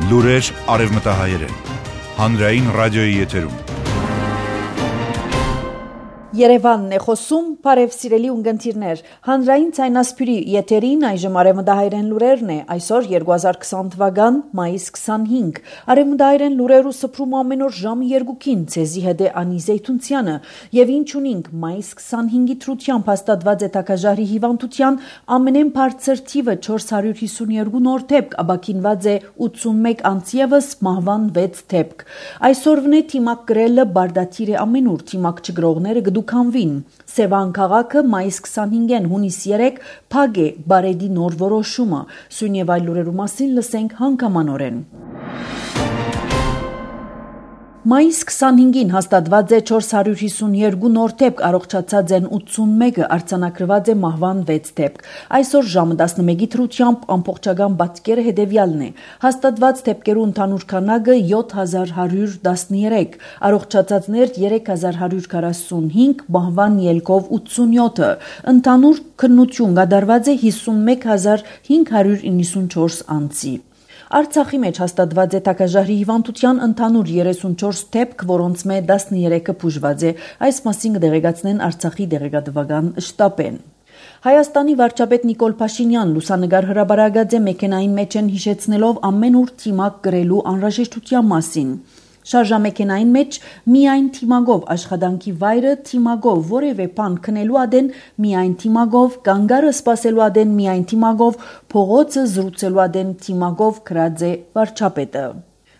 Լուրեր արևմտահայերեն։ Հանրային ռադիոյի եթերում։ Երևանն է խոսում, բարև սիրելի ունգընտիրներ, հանրային ցայնասպյուրի եթերին այժմ արևմտահայերեն լուրերն է, այսօր 2020 թվական մայիս 25, արևմտահայերեն լուրերու սփռում ամեն օր ժամը 2-ին, ցեզի հետ է Անի Զեյթունցյանը, եւ ինչ ունինք մայիս 25-ի թրությամբ հաստատված է տաքաժահրի հիվանդության ամենեն բարձր թիվը 452 նոր դեպք, ապաքինված է 81 անձևս, մահվան 6 դեպք։ Այսօրվն է թիմակ գրելը բարդաթիր է ամենուր, թիմակ չգրողները Քանվին Սևան քաղաքը մայիս 25-ին հունիս 3 փակ է բարեդի նոր որոշումը սույն եւ այլ լուրերու մասին լսենք հանգամանորեն Մայիս 25-ին հաստատված է 452 նոր դեպք, առողջացած են 81-ը, արձանագրված է մահվան 6 դեպք։ Այսօր ժամը 11-ի թրությամբ ամբողջական պատկերը հետևյալն է։ Հաստատված դեպքերու ընդհանուր քանակը 7113, առողջացածներ 3145, մահվան ելքով 87-ը։ Ընդհանուր քննություն կատարված է 51594 անձի։ Արցախի մեջ հաստատված է տաքաժահրի հիվանդության ընդհանուր 34 դեպք, որոնց մեջ 13-ը բուժված է, այս մասին կդեղեկացնեն Արցախի դեղեկատվական շտաբեն։ Հայաստանի վարչապետ Նիկոլ Փաշինյան լուսանգար հրապարակած է մեքենային մեջ են հիշեցնելով ամեն ուր թիմակ գրելու անհրաժեշտության մասին։ Շարժամեքենային մեջ միայն թիմագով աշխատանքի վայրը թիմագով որևէ բան քնելու ադեն միայն թիմագով կանգարը սպասելու ադեն միայն թիմագով փողոցը զրուցելու ադեն թիմագով գրած է վարչապետը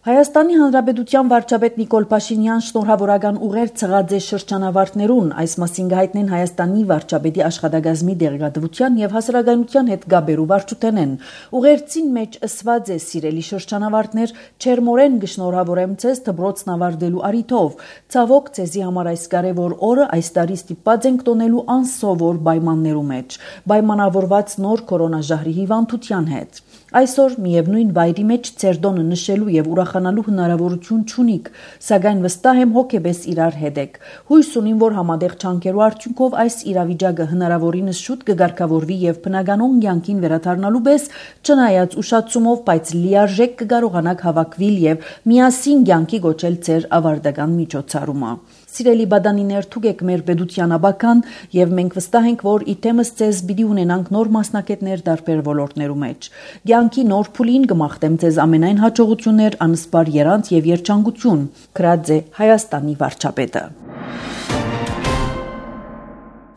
Հայաստանի Հանրապետության վարչապետ Նիկոլ Փաշինյան շնորհավորական ուղեր ցղած է շրջանավարտներուն, այս մասին կհայտնեն Հայաստանի վարչապետի աշխատակազմի դեղեկատվության եւ հասարակայնության հետ գաբերու վարչութենեն։ Ուղերձին մեջ ըսված է սիրելի շրջանավարտներ, չերմորեն գշնորհավորեմ ցեզ դբրոցն ավարտելու արիթով։ Ցավոք ցեզի համար այս կարևոր օրը այս տարի ստիպված ենք տոնելու անսովոր պայմաններու մեջ, պայմանավորված նոր կորոնաժահրի հիվանդության հետ։ Այսօր միևնույն վայրի մեջ ցերդոնը նշելու եւ ուրախանալու հնարավորություն չունիք, սակայն վստահ եմ հոգեբես իրար հետ եք։ Հույս ունիմ, որ համատեղ չանկերու արդյունքով այս իրավիճակը հնարավորինս շուտ կգարկավորվի եւ բնականon կյանքին վերադառնալու պես չնայած ուշացումով, բայց լիարժեք կկարողանաք հավաքվել եւ միասին կյանքի գոչել ձեր ավարտական միջոցառումը։ Սիրելի բադանիներ, թուգեք մեր պետության աբական եւ մենք վստահ ենք, որ իթեմս ցեզ պիտի ունենանք նոր մասնակետներ տարբեր ոլորտներու մեջ։ Կյանքի նոր փուլին կմաղթեմ ցեզ ամենայն հաջողություններ, անսպար երանց եւ երջանկություն։ Գրած է Հայաստանի վարչապետը։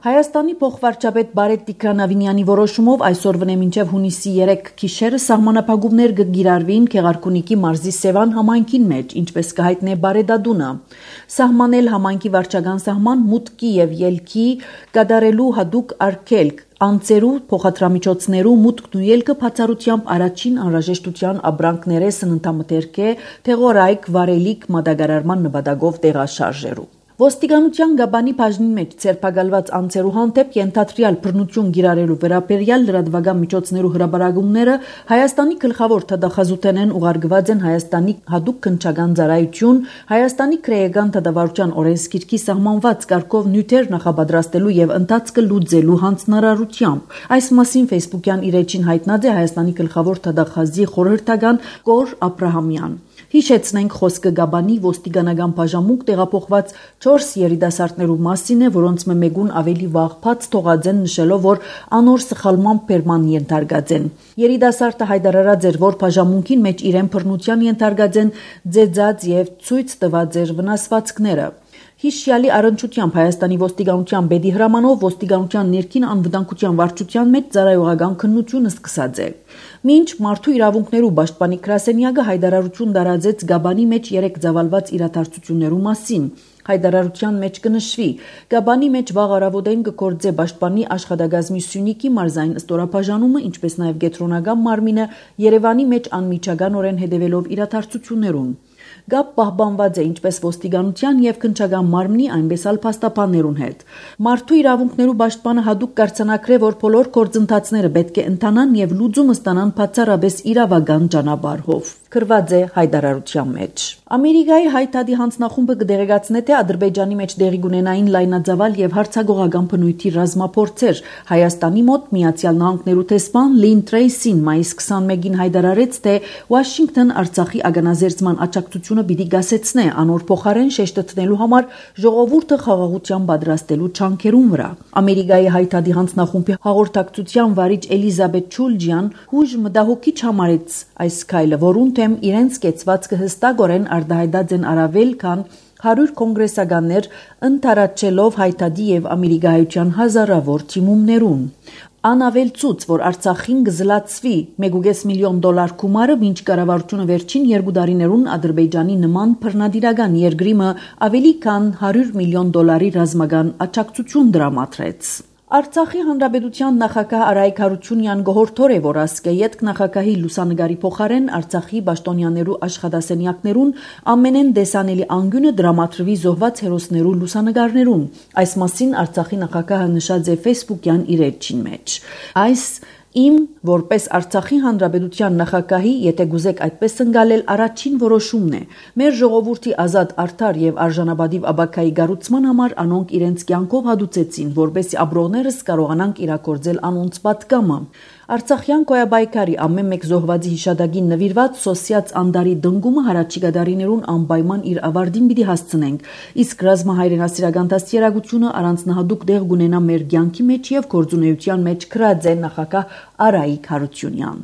Հայաստանի փոխվարչապետ Բարետ Տիգրանավինյանի որոշումով այսօր վնե մինչև հունիսի 3 գիշերը սահմանափակումներ կգիրառվին Քեղարքունիքի մարզի Սևան համայնքին մեջ, ինչպես կհայտնե Բարեդադունը։ Սահմանել համայնքի վարչական սահման մուտքի եւ ելքի կատարելու հատուկ արգելք Անցերու փոխադրամիջոցներու մուտքն ու ելքը բացառությամբ առաջին անհրաժեշտության ապրանքները սննդամթերք է, թեղորայք, վարելիք, մատակարարման նպատակով տեղաշարժերու։ Ոստիկանության գաբանի բաժնի մեջ ցերպակալված անձերու հանդեպ ենթադրյալ բռնություն գիրառելու վերաբերյալ լրատվական միջոցներու հրապարակումները Հայաստանի գլխավոր թադախազութենեն ուղարկված են Հայաստանի հատուկ քննչական ծառայություն, Հայաստանի քրեական թադավարության օրենսգիրքի սահմանված կարգով նյութեր նախապատրաստելու եւ ընթացքը լուծելու հանձնարարությամբ։ Այս մասին Facebook-յան իր էջին հայտնած է Հայաստանի գլխավոր թադախազի խորհրդական Կոր Աբրահամյան։ Հիշեցնենք խոսքը գաբանի ոստիկանական բաժամունք տեղափոխված 4 երիտասարդներու մասին է, որոնց մեկուն ավելի վաղ բաց թողած են նշելով, որ անոր սխալման բերման ենթարկած են։ Երիտասարդը հայտարարած էր, որ բաժամունքին մեջ իրեն բռնության ենթարկած են ձեծած եւ ցույց տված էր վնասվածքները։ Հիշյալի առնչությամբ Հայաստանի ոստիկանության բեդի հրամանով ոստիկանության ներքին անվտանգության վարչության մեջ ծառայողական քննությունը սկսած է։ Մինչ մարդու իրավունքներու պաշտպանի գրասենյակը հայտարարություն տարածեց Գաբանի մեջ 3 ծավալված իրադարձություններու մասին։ Հայտարարության մեջ կնշվի. Գաբանի մեջ վաղ առավոտային կգործե պաշտպանի աշխատակազմի Սյունիքի մարզային ստորաբաժանումը, ինչպես նաև Գետրոնական մարմինը Երևանի մեջ անմիջականորեն հետևելով իրադարձություններուն։ Գապ պահպանված է ինչպես ոստիկանության եւ քննչական մարմնի, այնպես էլ փաստաբաններուն հետ։ Մարդու իրավունքներու պաշտպանը հատուկ կարգծանակրե, որ բոլոր գործընթացները պետք է ընթանան եւ լուծումը ստանան բացառապես իրավական ճանապարհով։ գրված է հայտարարության մեջ։ Ամերիկայի հայտարարի հանձնախումբը կդեղեկացնե, թե Ադրբեջանի մեջ դեղի կունենային լայնածավալ եւ հարցագողական բնույթի ռազմափորձեր։ Հայաստանի մոտ Միացյալ Նահանգներու տեսփան Լին Տրեյսին մայիս 21-ին հայտարարեց, թե Վաշինգտոն Արցախի ագանազերծման աջակցությունը պիտի գասեցնե, անոր փոխարեն շեշտը տնելու համար ժողովուրդը խաղաղության պատրաստելու չանքերուն վրա։ Ամերիկայի հայտարարի հանձնախումբի հաղորդակցության վարիչ Էլիզաբեթ Չուլջյան հույժ մտահոգիչ համարեց այս քայլը, որուն թեմ իրենց կեցվածքը հստակորեն արտահայտած են առավել քան 100 կոնգրեսականներ ընդառաջելով հայտարարի եւ ամերիկայության հազարավոր թիմումներուն։ Անավելցուց, որ Արցախին կզլացվի $1.5 միլիոն գումարը, մինչ կառավարությունը վերջին 2 տարիներուն Ադրբեջանի նման բռնադիրական երկրի ավելի քան $100 միլիոն ռազմական աջակցություն դրամատրեց։ Արցախի հանրապետության նախագահ Արայք Հարությունյան գոհորթոր է, որ ասկեյետ նախագահի լուսանգարի փոխարեն Արցախի պաշտոնյաներու աշխատասենյակներուն ամենեն դեսանելի անգյունը դրամատրվի զոհված հերոսներու լուսանգարներուն։ Այս մասին Արցախի նախագահը նշած է Facebook-յան իր էջին մեջ։ Այս իմ որպես Արցախի հանրապետության նախագահի, եթե գուզեք այդպես ընկալել, առաջին որոշումն է։ Մեր ժողովրդի ազատ, արդար եւ արժանապատիվ ապագայի գառուցման համար անոնք իրենց կյանքով հադուցեցին, որպեսզի ապրողներս կարողանանք իրագործել անոնց պատգամը։ Արցախյան կոյաբայկարի ամեն մեկ զոհվածի հիշադակին նվիրված սոսիաց անդարի դնգումը հարաճիգա դարիներուն անպայման իր ավարտին պիտի հասցնենք, իսկ ռազմահայրենասիրական դաստիարակությունը առանձնահատուկ դեղ կունենա մեր կյանքի մեջ եւ գործունեության մեջ գրած է նախագահ Արայիկ Հարությունյան։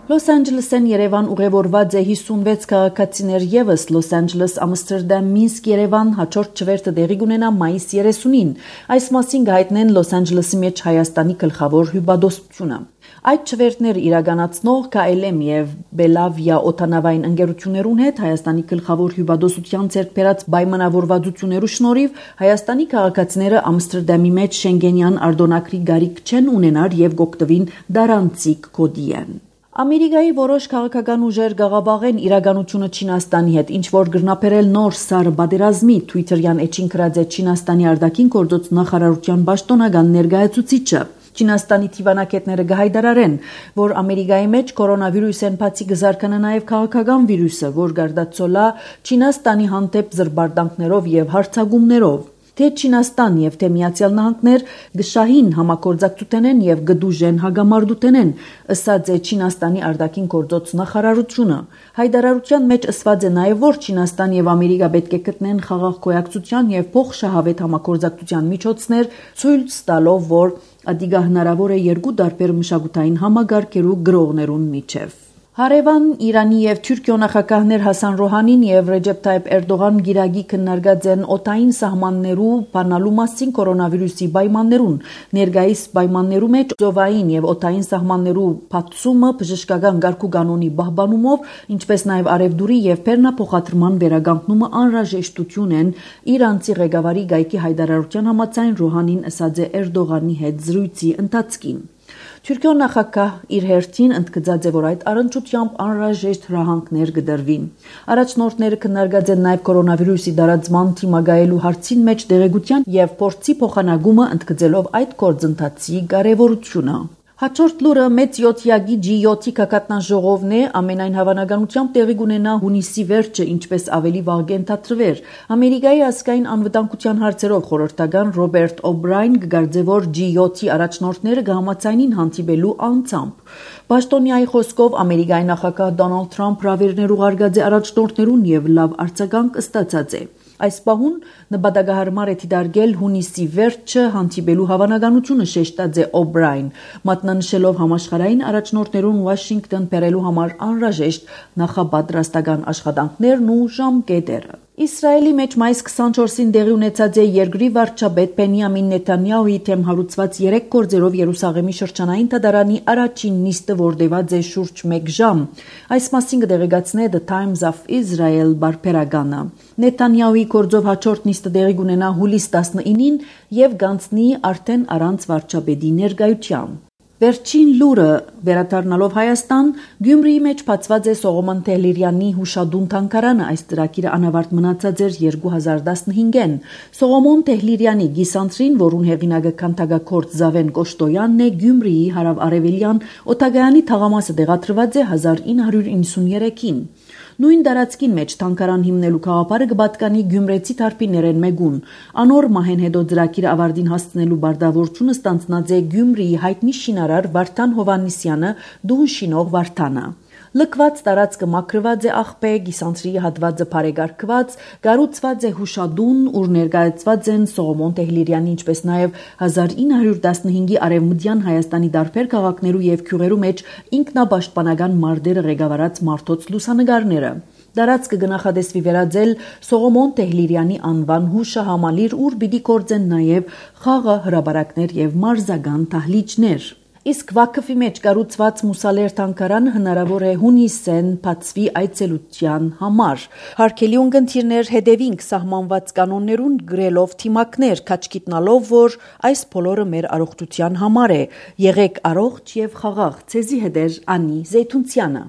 Լոս Անջելեսեն Երևան ուղևորված է 56 քաղաքացիներ եւս Լոս Անջելես, Ամստերդամ, Մինսկ, Երևան հաջորդ չվերթը տեղի կունենա մայիս 30-ին։ Այս մասին գայտնեն Լոս Անջելեսի մեջ Հայաստանի գլխավոր հյուպատոսությունը։ Այդ չվերթները իրականացնող KLM եւ Բելավիա օտանավային ընկերություններուն հետ Հայաստանի գլխավոր հյուպատոսության ձեռքբերած պայմանավորվածություններու շնորհիվ Հայաստանի քաղաքացիները Ամստերդամի մեջ Շենգենյան արտոնակրի գարիք չեն ունենար եւ գոկտվին դարանցիկ կոդի են։ Ամերիկայի որոշ քաղաքական ուժեր գաղափարեն իրականությունը Չինաստանի հետ, ինչ որ գրնապերել նոր սառը պատերազմի Twitter-յան էջին գրած է Չինաստանի արտաքին գործոց նախարարության պաշտոնական ներկայացուցիչը։ Չինաստանի թիվանակետները գահայդարարեն, որ Ամերիկայի մեջ կորոնավիրուսեն բացի կզարկանա նաև քաղաքական վիրուսը, որ գարդացոլա Չինաստանի հանդեպ զրբարտանքներով եւ հարձակումներով։ Թե Չինաստան եւ թե Միացյալ Նահանգներ գշահին համագործակցութեն եւ գդուժեն հագամարտութեն, ըսած է Չինաստանի արտաքին գործոց նախարարությունը։ Հայտարարության մեջ ասված է նաեւ, որ Չինաստան եւ Ամերիկա պետք է գտնեն խաղաղ գոյակցության եւ փոխշահավետ համագործակցության միջոցներ, ցույց տալով, որ ադիգա հնարավոր է երկու տարբեր մշակութային համագարկերու գրողներուն միջև։ Հարևան Իրանի եւ Թուրքիո նախագահներ Հասան Ռոհանին եւ Ռեջեփ Թայիփ Էրդողան գիրագի քննարկած են օտային սահմաններու բանալու մասին կորոնավիրուսի պայմաններուն։ Ներկայիս պայմաններու մեջ ծովային եւ օտային սահմաններու բացումը բժշկական գարկուկանոնի պահպանումով, ինչպես նաեւ արևդուրի եւ բեռնափոխադրման վերականգնումը անհրաժեշտություն են իրանցի ղեկավարի գայքի հայտարարության համաձայն Ռոհանին ասած է Էրդողանի հետ զրույցի ընթացքին։ Թուրքիո նախագահ իր հերթին ընդգծած է, որ այդ առընչությամբ անհրաժեշտ հրահանգներ կդրվին։ Առաջնորդները քննարկած են նաև կորոնավիրուսի տարածման թիմագայելու հարցին մեջ դեղեցության եւ փորձի փոխանակումը, ընդգծելով այդ գործընթացի կարեւորությունը։ Հաջորդ լուրը մեծ 7-յակի G7-ի կակատնան ժողովն է, ամենայն հավանականությամբ տեղի կունենա հունիսի վերջը, ինչպես ավելի վաղ կենթադրվեր։ Ամերիկայի ազգային անվտանգության հարցերով խորհրդական Ռոբերտ Օբրայն կգարձե, որ G7-ի առաջնորդները կհամաձայնին հանդիպելու անձամբ։ Պաշտոնյայի խոսքով Ամերիկայի նախագահ Դոնալդ Թրամփ հրավերներ ուղարկած է առաջնորդներուն եւ լավ արձագանք ստացած է։ Այս պահուն նպատակահարմար է դիտարկել հունիսի վերջը հանդիպելու հավանականությունը, շեշտած է Օբրայն, մատնանշելով համաշխարհային առաջնորդներուն Վաշինգտոն բերելու համար անհրաժեշտ նախապատրաստական աշխատանքներն ու ժամկետերը։ Իսրայելի մեջ մայիս 24-ին տեղի ունեցած է երկրի վարչապետ Բենյամին Նեթանյահուի թեմ հարուցված 3 գործերով Երուսաղեմի շրջանային դատարանի առաջին նիստը, որ տևած է շուրջ 1 ժամ։ Այս մասին կդեղեկացնե The Times of Israel բարբերականը։ Նեթանյահուի գործով հաջորդ նիստը տեղի կունենա հուլիս 19-ին եւ գանցնի արդեն առանց վարչապետի ներկայության։ Վերջին լուրը վերադառնալով Հայաստան, Գյումրիի մեջ բացված է Սողոմոն Թեհլիրյանի հուշադուն թանգարանը, այս ծրագիրը անավարտ մնացած էր 2015-ին։ Սողոմոն Թեհլիրյանի գիսանտրին, որուն հեղինակը քանդակագործ Զավեն Կոշտոյանն է, Գյումրիի հարավ-արևելյան Օտագայանի թաղամասը տեղադրված է 1993-ին։ Նույն դարածքին մեջ թանգարան հիմնելու գաղափարը կպատկանի գյումրեցի թարգմանիչներեն մեկուն։ Անոր մահեն հետո ծրագիրը ավարտին հասցնելու բարդավորությունը ստանձնած է Գյումրիի հայտնի շինարար Վարդան Հովհաննիսյանը, դուն շինող Վարդանը։ Լքված տարածքը մաքրված է աղբե, գիսանտրի հատվածը բարեկարգված, կառուցված է հուշադուն, ուր ներկայացված են Սողոմոն Թեհլիրյանի, ինչպես նաև 1915-ի արևմտյան Հայաստանի տարբեր քաղաքներու եւ գյուղերու մեջ ինքնապաշտպանական մարտերը ղեկավարած մարդոց լուսանկարները։ Դարածքը կնախադեсվի վերածել Սողոմոն Թեհլիրյանի անվան հուշահամալիր, ուր պիտի գործեն նաև խաղը, հրապարակներ եւ մարզական դահլիճներ։ Իսկ Վաքֆի մեջ կառուցված Մուսալեր թանգարանը հնարավոր է հունիսեն բացվի այցելության համար։ Հարգելի ունկնդիրներ, հետևինք սահմանված կանոններուն գրելով թիմակներ, քաչկիտնալով, որ այս բոլորը մեր առողջության համար է։ Եղեք առողջ եւ խաղաղ։ Ցեզի հետ է Անի Զեյթունցյանը։